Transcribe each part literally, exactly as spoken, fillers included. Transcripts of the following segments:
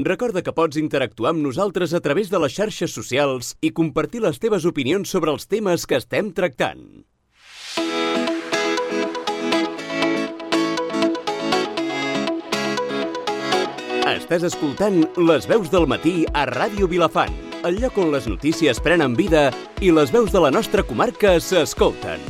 Recorda que pots interactuar amb nosaltres a través de les xarxes socials i compartir les teves opinions sobre els temes que estem tractant. Estàs escoltant Les Veus del Matí a Ràdio Vilafant, el lloc on les notícies prenen vida i les veus de la nostra comarca s'escolten.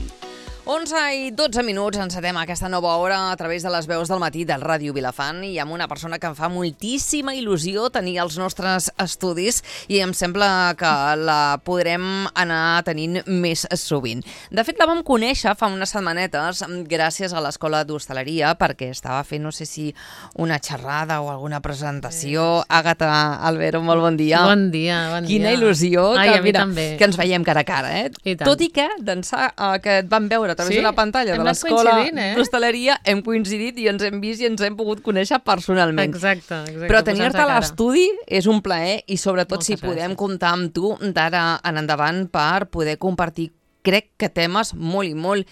onze i dotze minuts, encetem aquesta nova hora a través de les veus del matí del Ràdio Vilafant i amb una persona que em fa moltíssima il·lusió tenir als nostres estudis i em sembla que la podrem anar tenint més sovint. De fet, la vam conèixer fa unes setmanetes gràcies a l'Escola d'Hostaleria perquè estava fent, no sé si una xerrada o alguna presentació. Àgata Albero, molt bon dia. Bon dia, bon dia. Quina il·lusió Ai, que, a mi mira, també. que ens veiem cara a cara, eh? Tot i que d'ençà eh, que et vam veure a través Sí? d'una pantalla Hem de anat l'Escola coincidint, eh? d'Hostaleria, hem coincidit i ens hem vist i ens hem pogut conèixer personalment. Exacte, exacte. Però tenir-te posar-nos a a cara. l'estudi és un plaer i sobretot Moltes si podem gràcies. comptar amb tu d'ara en endavant per poder compartir, crec que temes molt i molt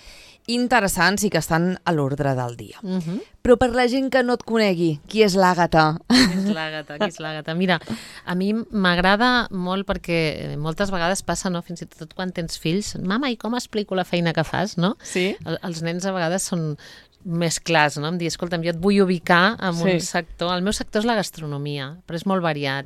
interessants i que estan a l'ordre del dia. Uh -huh. Però per la gent que no et conegui, qui és l'Àgata? Qui és l'Àgata? Qui és l'Àgata? Mira, a mi m'agrada molt perquè moltes vegades passa, no? Fins i tot quan tens fills, mama, i com explico la feina que fas, no? Sí. El, els nens a vegades són més clars, no? Em dir, escolta'm, jo et vull ubicar en Sí. un sector. El meu sector és la gastronomia, però és molt variat.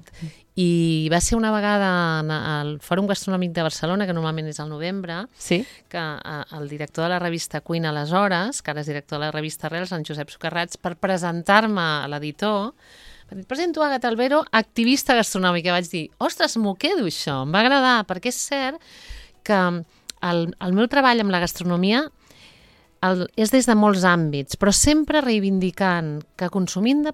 I va ser una vegada al Fòrum Gastronòmic de Barcelona, que normalment és al novembre, Sí. que eh, el director de la revista Cuina aleshores, que ara és director de la revista Arrels, en Josep Socarrats, per presentar-me a l'editor, va dir, presento Àgata Albero, activista gastronòmica. Vaig dir, ostres, m'ho quedo això, em va agradar, perquè és cert que el, el meu treball amb la gastronomia el, és des de molts àmbits, però sempre reivindicant que consumim de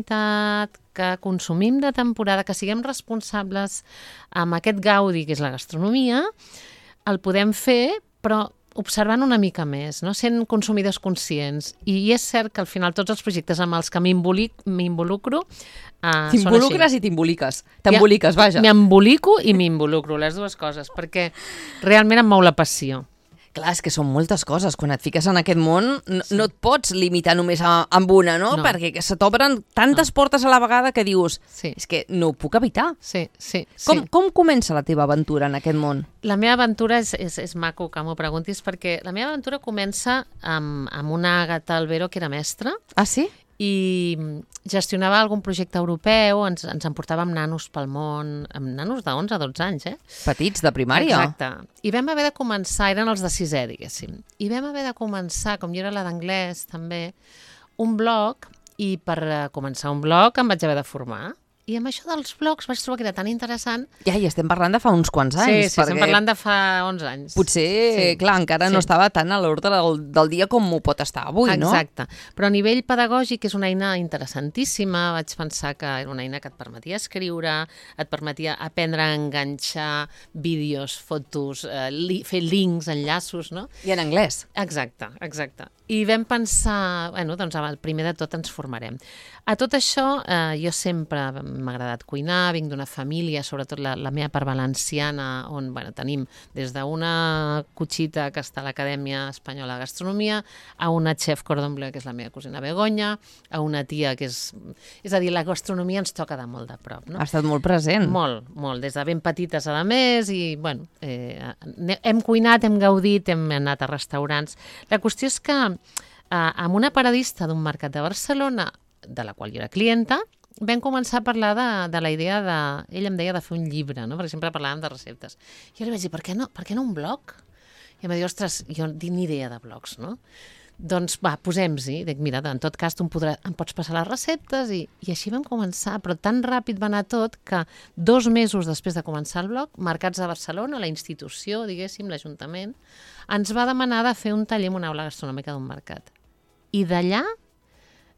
proximitat, que consumim de temporada, que siguem responsables amb aquest gaudi que és la gastronomia, el podem fer, però observant una mica més, no? Sent consumidors conscients. I és cert que al final tots els projectes amb els que m'involucro uh, són així. T'involucres i t'emboliques. T'emboliques, vaja. M'embolico i m'involucro, les dues coses, perquè realment em mou la passió. Clar, és que són moltes coses. Quan et fiques en aquest món no, no et pots limitar només a, amb una, no? No. Perquè que se t'obren tantes no. portes a la vegada que dius, Sí. és que no ho puc evitar. Sí, sí, sí. Com, com comença la teva aventura en aquest món? La meva aventura és, és, és maco que m'ho preguntis, perquè la meva aventura comença amb, amb una Àgata Albero que era mestra Ah, sí? i gestionava algun projecte europeu, ens, ens emportàvem nanos pel món, amb nanos de onze a dotze anys, eh? Petits, de primària. Exacte. I vam haver de començar, eren els de sisè, diguéssim, i vam haver de començar, com jo era la d'anglès també, un blog, i per eh, començar un blog em vaig haver de formar. I amb això dels blogs vaig trobar que era tan interessant. Ja, i estem parlant de fa uns quants anys. Sí, sí, estem parlant de fa onze anys. Potser, Sí. clar, encara Sí. no estava tan a l'ordre del, del dia com ho pot estar avui, no? Exacte. Però a nivell pedagògic és una eina interessantíssima. Vaig pensar que era una eina que et permetia escriure, et permetia aprendre a enganxar vídeos, fotos, eh, li, fer links, enllaços, no? I en anglès. Exacte, exacte. I vam pensar, bueno, doncs el primer de tot ens formarem. A tot això, eh, jo sempre m'ha agradat cuinar, vinc d'una família, sobretot la, la meva part valenciana, on bueno, tenim des d'una cotxita que està a l'Acadèmia Espanyola de Gastronomia, a una chef cordon bleu, que és la meva cosina Begoña, a una tia que és... És a dir, la gastronomia ens toca de molt de prop, no? Ha estat molt present. Molt, molt, des de ben petites a més i, bueno, eh, hem cuinat, hem gaudit, hem anat a restaurants. La qüestió és que eh, amb una paradista d'un mercat de Barcelona, de la qual jo era clienta, vam començar a parlar de, de la idea de... Ell em deia de fer un llibre, no? Perquè sempre parlàvem de receptes. I jo li vaig dir, per què no, per què no un blog? I em va dir, ostres, jo no tinc ni idea de blogs, no? Doncs va, posem-s'hi. Dic, mira, en tot cas tu em, podrà, em pots passar les receptes i, i així vam començar, però tan ràpid va anar tot que dos mesos després de començar el blog, Mercats de Barcelona, la institució, diguéssim, l'Ajuntament, ens va demanar de fer un taller en una aula gastronòmica d'un mercat. I d'allà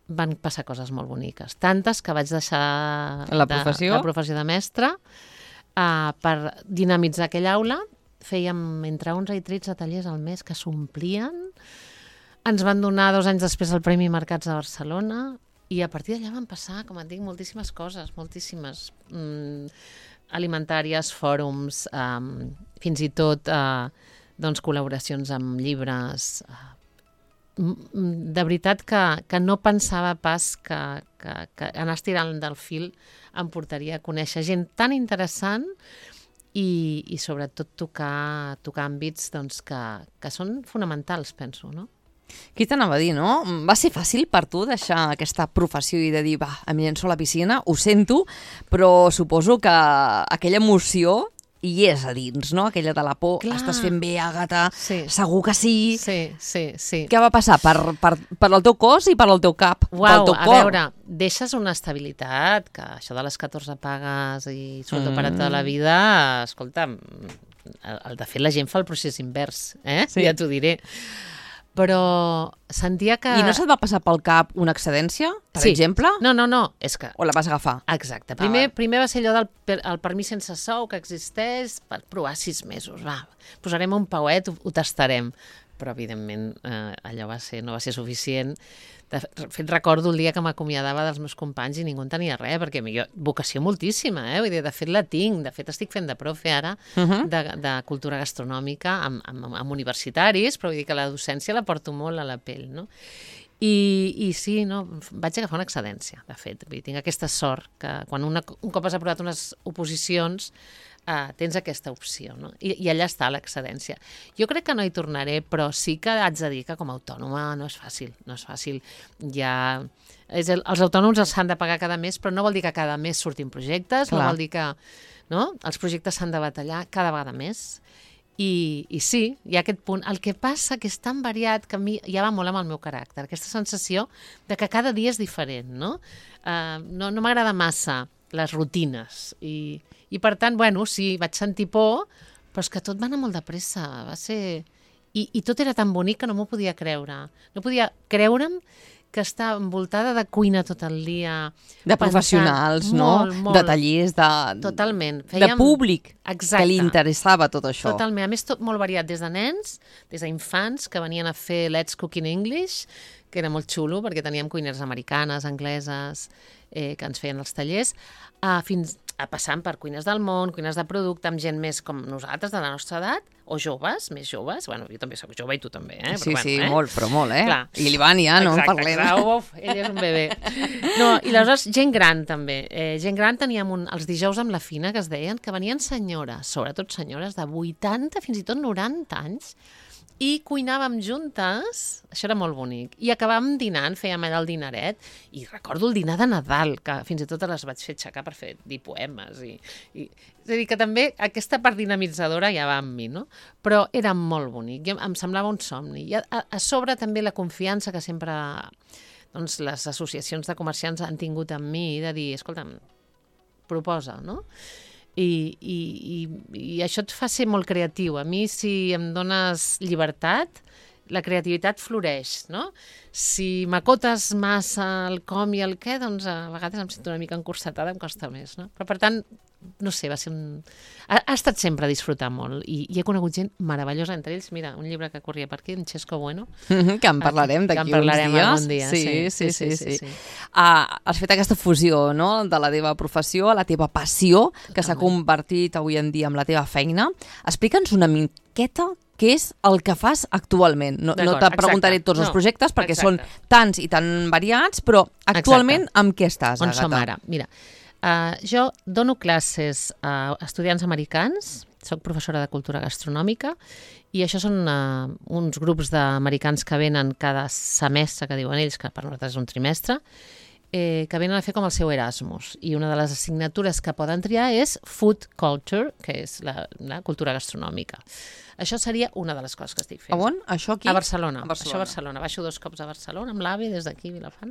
van passar coses molt boniques. Tantes que vaig deixar La professió? de, la professió de mestre uh, per dinamitzar aquella aula. Fèiem entre onze i tretze tallers al mes que s'omplien. Ens van donar dos anys després el Premi Mercats de Barcelona i a partir d'allà van passar, com et dic, moltíssimes coses, moltíssimes mm, alimentàries, fòrums, um, fins i tot uh, doncs, col·laboracions amb llibres, uh, de veritat que, que no pensava pas que, que, que anar estirant del fil em portaria a conèixer gent tan interessant i, i sobretot tocar, tocar àmbits doncs, que, que són fonamentals, penso, no? Qui t'anava a dir, no? Va ser fàcil per tu deixar aquesta professió i de dir, va, em llenço a la piscina, ho sento, però suposo que aquella emoció hi és a dins, no? Aquella de la por, Clar. Estàs fent bé, Àgata, Sí. segur que sí. Sí, sí, sí. Què va passar? Per, per, per el teu cos i per al teu cap, pel Uau, teu a cor. veure, deixes una estabilitat, que això de les catorze pagues i sueldo mm. per a tota la vida, escolta, el, el, de fet la gent fa el procés invers, eh? Sí. Ja t'ho diré. Però sentia que... I no se't va passar pel cap una excedència, per sí. exemple? No, no, no, és que... O la vas agafar? Exacte. Primer, Ah, primer va ser allò del per, el permís sense sou que existeix per provar sis mesos. Va, posarem un pauet, ho, ho tastarem. Però, evidentment, eh, allò va ser, no va ser suficient. De fet, recordo el dia que m'acomiadava dels meus companys i ningú en tenia res, perquè jo, vocació moltíssima, eh? Vull dir, de fet la tinc, de fet estic fent de profe ara Uh -huh. de, de cultura gastronòmica amb, amb, amb universitaris, però vull dir que la docència la porto molt a la pell, no? I, i sí, no, vaig agafar una excedència, de fet. Vull dir, tinc aquesta sort que quan una, un cop has aprovat unes oposicions Uh, tens aquesta opció, no? I, i allà està l'excedència. Jo crec que no hi tornaré, però sí que haig de dir que com a autònoma no és fàcil, no és fàcil. Ja... És el, els autònoms els s'han de pagar cada mes, però no vol dir que cada mes surtin projectes, Clar. no vol dir que... No? Els projectes s'han de batallar cada vegada més. I, I sí, hi ha aquest punt. El que passa que és tan variat que a mi ja va molt amb el meu caràcter, aquesta sensació de que cada dia és diferent, no? Uh, no no m'agrada massa les rutines i, i per tant, bueno, sí, vaig sentir por, però és que tot va anar molt de pressa, va ser... I, i tot era tan bonic que no m'ho podia creure. No podia creure'm que està envoltada de cuina tot el dia. De professionals, no? Molt, molt. De tallers, de... Totalment. De públic, Exacte. que li interessava tot això. Totalment. A més, tot molt variat, des de nens, des d'infants, que venien a fer Let's Cook in English, que era molt xulo, perquè teníem cuineres americanes, angleses, eh, que ens feien els tallers, a, fins a passant per cuines del món, cuines de producte, amb gent més com nosaltres, de la nostra edat, o joves, més joves. Bueno, jo també soc jove i tu també, eh? Sí, però, sí, bueno, eh? molt, però molt, eh? Clar. I l'Ivan ja, no en Exacte, parlem. Exacte, uf, ell és un bebè. No, i aleshores, gent gran també. Eh, gent gran teníem un, els dijous amb la Fina, que es deien, que venien senyores, sobretot senyores de vuitanta, fins i tot noranta anys, i cuinàvem juntes, això era molt bonic, i acabàvem dinant, fèiem allà el dinaret, i recordo el dinar de Nadal, que fins i tot les vaig fer aixecar per fer dir poemes, i, i, és a dir, que també aquesta part dinamitzadora ja va amb mi, no? Però era molt bonic, jo, em semblava un somni, i a, a, a sobre també la confiança que sempre doncs, les associacions de comerciants han tingut amb mi, de dir, escolta'm, proposa, no? I, i, i, i això et fa ser molt creatiu. A mi, si em dones llibertat, la creativitat floreix, no? Si m'acotes massa el com i el què, doncs a vegades em sento una mica encursetada, em costa més, no? Però, per tant, no sé, va ser un... Ha, ha estat sempre a disfrutar molt i, i he conegut gent meravellosa, entre ells, mira, un llibre que corria per aquí, en Xesco Bueno. Que en parlarem Que d'aquí en parlarem uns dies. algun dia, Sí, sí, sí, sí. sí, sí, sí, sí. sí. Uh, has fet aquesta fusió, no?, de la teva professió a la teva passió, que s'ha Totalment. convertit avui en dia en la teva feina. Explica'ns una miqueta què és el que fas actualment. No, no D'acord, te preguntaré exacte. tots els No, projectes perquè exacte. són tants i tan variats, però actualment amb què estàs, On Àgata? som ara? Mira, uh, jo dono classes a estudiants americans, soc professora de cultura gastronòmica, i això són uh, uns grups d'americans que venen cada semestre, que diuen ells, que per nosaltres és un trimestre, eh, que venen a fer com el seu Erasmus. I una de les assignatures que poden triar és Food Culture, que és la, la cultura gastronòmica. Això seria una de les coses que estic fent. A on? Això aquí? A Barcelona. A Barcelona. Això a Barcelona. Baixo dos cops a Barcelona, amb l'AVE, des d'aquí, Vilafant,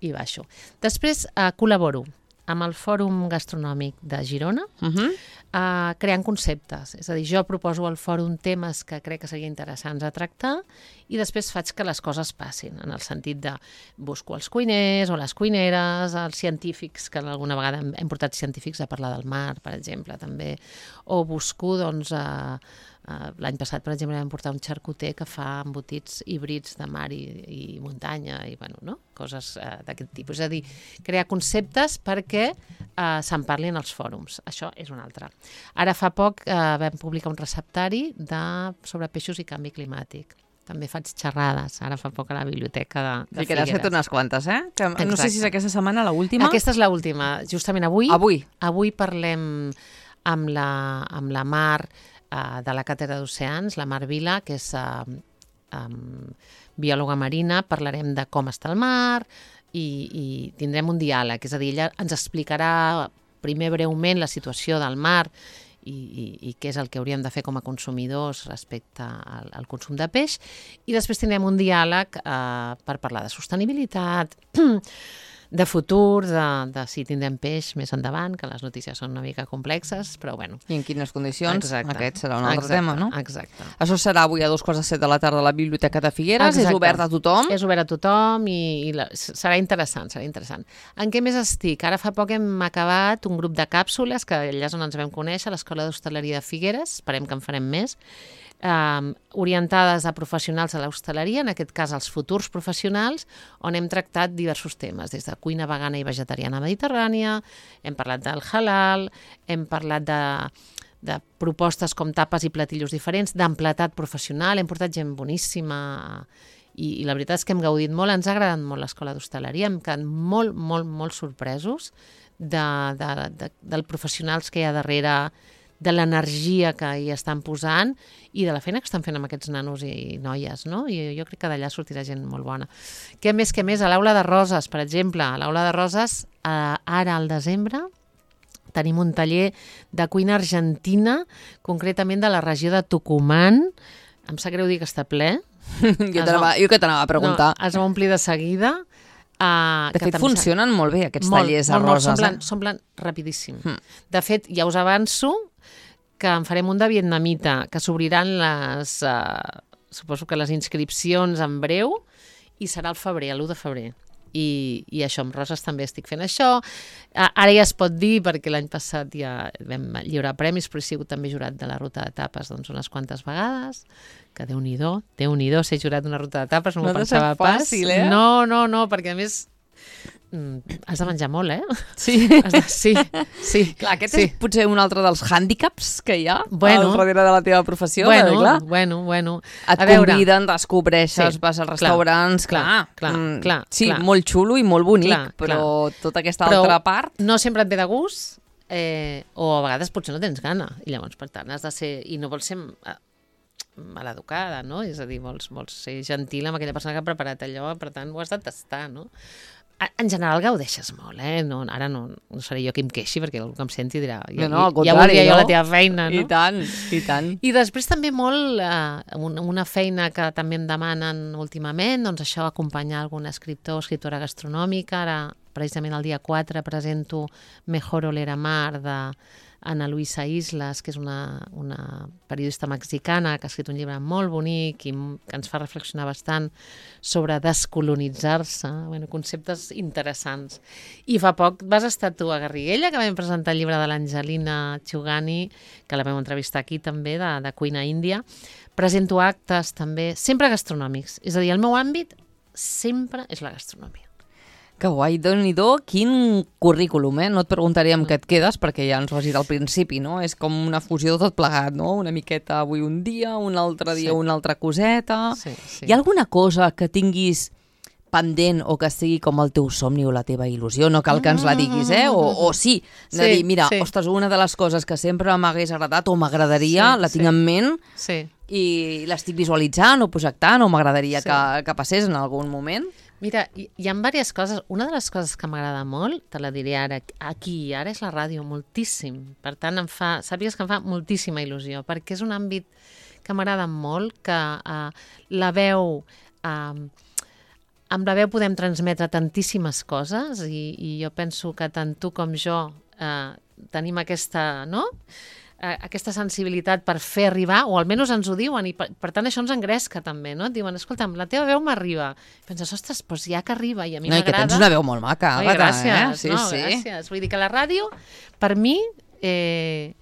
i baixo. Després eh, col·laboro amb el Fòrum Gastronòmic de Girona, Uh -huh. eh, creant conceptes. És a dir, jo proposo al fòrum temes que crec que serien interessants a tractar i després faig que les coses passin, en el sentit de busco els cuiners o les cuineres, els científics, que alguna vegada hem, hem portat científics a parlar del mar, per exemple, també, o busco, doncs, eh, Uh, l'any passat, per exemple, vam portar un xarcuter que fa embotits híbrids de mar i, i muntanya i, bueno, no? Coses uh, d'aquest tipus. És a dir, crear conceptes perquè uh, se'n parlin als fòrums. Això és un altre. Ara fa poc uh, vam publicar un receptari de, sobre peixos i canvi climàtic. també faig xerrades, ara fa poc a la biblioteca de, de sí, que n'has fet unes quantes, eh? Que no Exacte. sé si és aquesta setmana l'última. Aquesta és l'última, justament avui. Avui. Avui parlem amb la, amb la Mar uh, de la Càtedra d'Oceans, la Mar Vila, que és uh, um, biòloga marina. Parlarem de com està el mar i, i tindrem un diàleg, és a dir, ella ens explicarà primer breument la situació del mar I, i, i què és el que hauríem de fer com a consumidors respecte al, al consum de peix, i després tindrem un diàleg eh, per parlar de sostenibilitat, de futur, de, de si tindrem peix més endavant, que les notícies són una mica complexes, però bueno. I en quines condicions? Exacte. Aquest serà un altre Exacte. tema, no? Exacte. Això serà avui a dos quarts de set de la tarda a la Biblioteca de Figueres. Exacte. És obert a tothom? És obert a tothom i, i la, serà interessant, serà interessant. En què més estic? Ara fa poc hem acabat un grup de càpsules, que allà és on ens vam conèixer, a l'Escola d'Hostaleria de Figueres, esperem que en farem més, eh, orientades a professionals de l'hostaleria, en aquest cas als futurs professionals, on hem tractat diversos temes, des de cuina vegana i vegetariana mediterrània, hem parlat del halal, hem parlat de de propostes com tapes i platillos diferents, d'emplatat professional, hem portat gent boníssima i, i la veritat és que hem gaudit molt, ens ha agradat molt l'Escola d'Hostaleria, hem quedat molt, molt, molt sorpresos de, de, de, del professionals que hi ha darrere, de l'energia que hi estan posant i de la feina que estan fent amb aquests nanos i noies, no? I jo crec que d'allà sortirà gent molt bona. Què més, què més? A l'Aula de Roses, per exemple, a l'Aula de Roses, eh, ara al desembre, tenim un taller de cuina argentina, concretament de la regió de Tucumán. Em sap greu dir que està ple. jo, va, jo que t'anava a preguntar. No, es va omplir de seguida. Uh, de fet, funcionen sa... molt bé aquests molt, tallers a molt, Roses. Molt, s'omplen, eh? s'omplen rapidíssim. Hmm. De fet, ja us avanço que en farem un de vietnamita, que s'obriran les, uh, suposo que les inscripcions en breu, i serà al febrer, l'u de febrer. I, i això, amb Roses també estic fent això. Ara ja es pot dir, perquè l'any passat ja vam lliurar premis, però he sigut també jurat de la ruta de tapes doncs, unes quantes vegades, que Déu-n'hi-do, Déu-n'hi-do, ser jurat d'una ruta de tapes, no, no m'ho pensava pas. Fàcil, eh? No, no, no, perquè a més has de menjar molt, eh? Sí. Has de, sí, sí. Clar, aquest sí. és potser un altre dels hàndicaps que hi ha bueno, al darrere de la teva professió. Bueno, perquè, clar, bueno, bueno. et a veure, conviden, descobreixes, sí, vas als restaurants, clar, clar, clar, mm, clar, sí, clar. molt xulo i molt bonic, Clar, però clar. tota aquesta Però altra part... no sempre et ve de gust, eh, o a vegades potser no tens gana, i llavors, per tant, has de ser... I no vols ser eh, maleducada, no? És a dir, vols, vols ser gentil amb aquella persona que ha preparat allò, per tant, ho has de tastar, no? En general gaudeixes molt, eh? No, ara no, no seré jo qui em queixi, perquè algú que em senti dirà ja, no, no, al ja contrari, voldria jo no? la teva feina, no? I tant, i tant. I després també molt, eh, una feina que també em demanen últimament, doncs això, acompanyar algun escriptor o escriptora gastronòmica. Ara, precisament el dia quatre, presento Mejor oler a mar, de Ana Luisa Islas, que és una, una periodista mexicana que ha escrit un llibre molt bonic i que ens fa reflexionar bastant sobre descolonitzar-se, bueno, conceptes interessants. I fa poc vas estar tu a Garriguella, que vam presentar el llibre de l'Angelina Chugani, que la vam entrevistar aquí també, de, de cuina índia. Presento actes també, sempre gastronòmics. És a dir, el meu àmbit sempre és la gastronomia. Que guai, Déu-n'hi-do, quin currículum, eh? No et preguntaré amb què et quedes, perquè ja ens ho has dit al principi, no? És com una fusió de tot plegat, no? Una miqueta avui un dia, un altre dia sí. una altra coseta... Sí, sí. Hi ha alguna cosa que tinguis pendent o que sigui com el teu somni o la teva il·lusió? No cal que ens la diguis, eh? O, o sí, de sí, dir, mira, sí. ostres, una de les coses que sempre m'hagués agradat o m'agradaria, Sí, la tinc sí. en ment Sí. i l'estic visualitzant o projectant o m'agradaria Sí. que, que passés en algun moment. Mira, hi, hi ha diverses coses. Una de les coses que m'agrada molt, te la diré ara, aquí i ara, és la ràdio, moltíssim. Per tant, em fa, sàpigues que em fa moltíssima il·lusió, perquè és un àmbit que m'agrada molt, que uh, la veu... Uh, amb la veu podem transmetre tantíssimes coses i, i jo penso que tant tu com jo uh, tenim aquesta... no? aquesta sensibilitat per fer arribar, o almenys ens ho diuen, i per, per tant això ens engresca també, no? Et diuen, escolta'm, la teva veu m'arriba. I penses, ostres, doncs ja que arriba, i a mi no, m'agrada... I que tens una veu molt maca, Oi, Àgata, gràcies, eh? Sí, no, sí. gràcies. Vull dir que la ràdio, per mi, eh,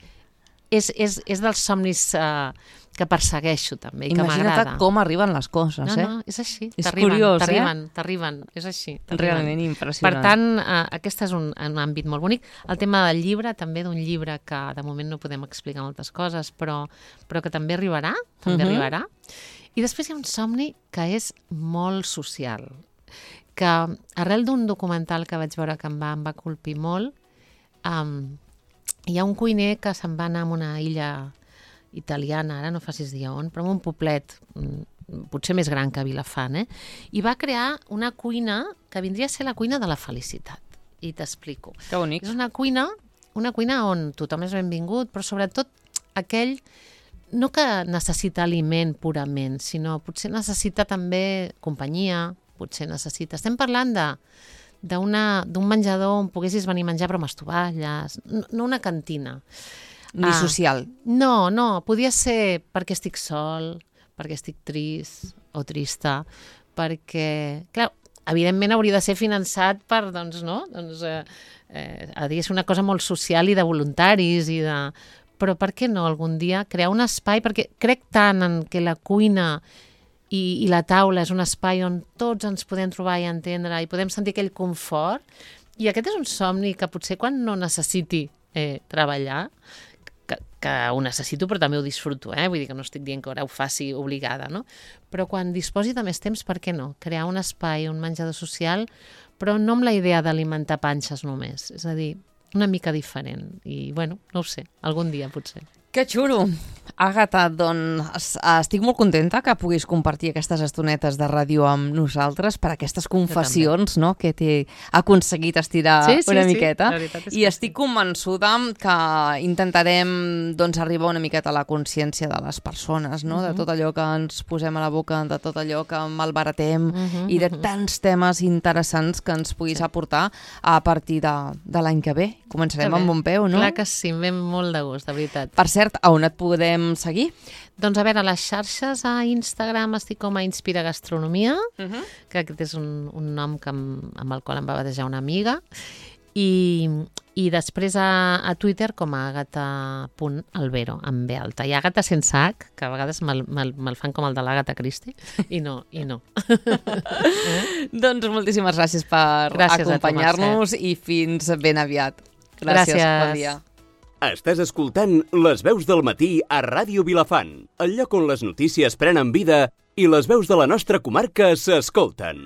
és, és, és dels somnis eh, que persegueixo també, i que m'agrada. Imagina't com arriben les coses, no, eh? No, és així. És t'arriben, curiós, eh? T'arriben, t'arriben, és així. Realment impressionant. Per tant, eh, aquest és un, un àmbit molt bonic. El tema del llibre, també d'un llibre que de moment no podem explicar moltes coses, però, però que també arribarà, també Mhm. arribarà. I després hi ha un somni que és molt social, que arrel d'un documental que vaig veure que em va, em va colpir molt, um, hi ha un cuiner que se'n va anar a una illa italiana, ara no facis dir on, però en un poblet, potser més gran que Vilafant, eh? I va crear una cuina que vindria a ser la cuina de la felicitat. I t'explico. Que bonic. És una cuina, una cuina on tothom és benvingut, però sobretot aquell, no que necessita aliment purament, sinó potser necessita també companyia, potser necessita... Estem parlant de d'un menjador on poguessis venir a menjar però amb estovalles, no, no una cantina. Ni ah, social. No, no, podia ser perquè estic sol, perquè estic trist o trista, perquè, clar, evidentment hauria de ser finançat per, doncs, no? Doncs, eh, eh, hauria de ser una cosa molt social i de voluntaris i de... Però per què no algun dia crear un espai? Perquè crec tant en que la cuina i, i la taula és un espai on tots ens podem trobar i entendre i podem sentir aquell confort. I aquest és un somni que potser quan no necessiti eh, treballar, que, que ho necessito però també ho disfruto, eh? Vull dir que no estic dient que ara ho faci obligada, no? Però quan disposi de més temps, per què no? Crear un espai, un menjador social, però no amb la idea d'alimentar panxes només. És a dir, una mica diferent. I, bueno, no ho sé, algun dia potser. Que xulo! Àgata, doncs estic molt contenta que puguis compartir aquestes estonetes de ràdio amb nosaltres per aquestes confessions, no?, que t'he aconseguit estirar sí, sí, una sí. miqueta. I estic sí. convençuda que intentarem doncs, arribar una miqueta a la consciència de les persones, no?, uh -huh. de tot allò que ens posem a la boca, de tot allò que malbaratem uh -huh, i de tants temes interessants que ens puguis sí. aportar a partir de, de l'any que ve. Començarem amb bon peu, no? Clar que sí, em ve molt de gust, de veritat. Per cert, a on et podem seguir? Doncs a veure, a les xarxes, a Instagram estic com a Inspira Gastronomia, uh -huh. que aquest és un, un nom que amb, amb el qual em va batejar una amiga, i, i després a, a Twitter com a agata punt albero, amb B alta. I Agata sense H, que a vegades me'l me me fan com el de l'Agatha Christie, i no, i no. eh? Doncs moltíssimes gràcies per gràcies acompanyar-nos i fins ben aviat. Gràcies, gràcies. Bon dia. Estàs escoltant Les veus del matí a Ràdio Vilafant, el lloc on les notícies prenen vida i les veus de la nostra comarca s'escolten.